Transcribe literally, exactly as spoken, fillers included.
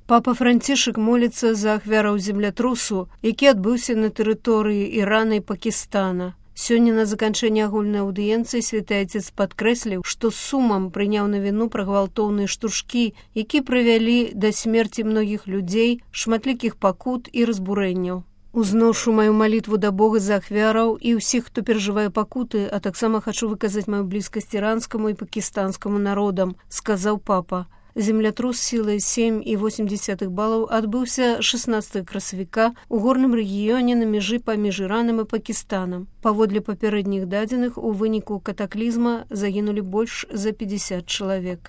Папа Францішак моліцца за ахвяраў землятрусу, які адбыўся на тэрыторыі Ірана і Пакістана. Сёння на заканчэнні агульнай аўдыенцыі святы Айцец падкрэсліў, што з сумам прыняў на віну пра гвалтоўныя штуршкі, які прывялі да смерці многіх людзей, шматлікіх пакут і разбурэнняў. Узношу маю малітву да Бога за ахвяраў і ўсіх, хто перажывае пакуты, а таксама хачу выказаць маю блізкасць іранскаму і пакістанскаму народам, сказаў папа. Землятрус сілай сем і восем дзесятых балаў адбыўся шаснаццатага красавіка ў горным рэгіёне на мяжы паміж Іранам і Пакістанам. Паводле папярэдніх дадзеных, у выніку катаклізма загінулі больш за пятьдесят чалавек.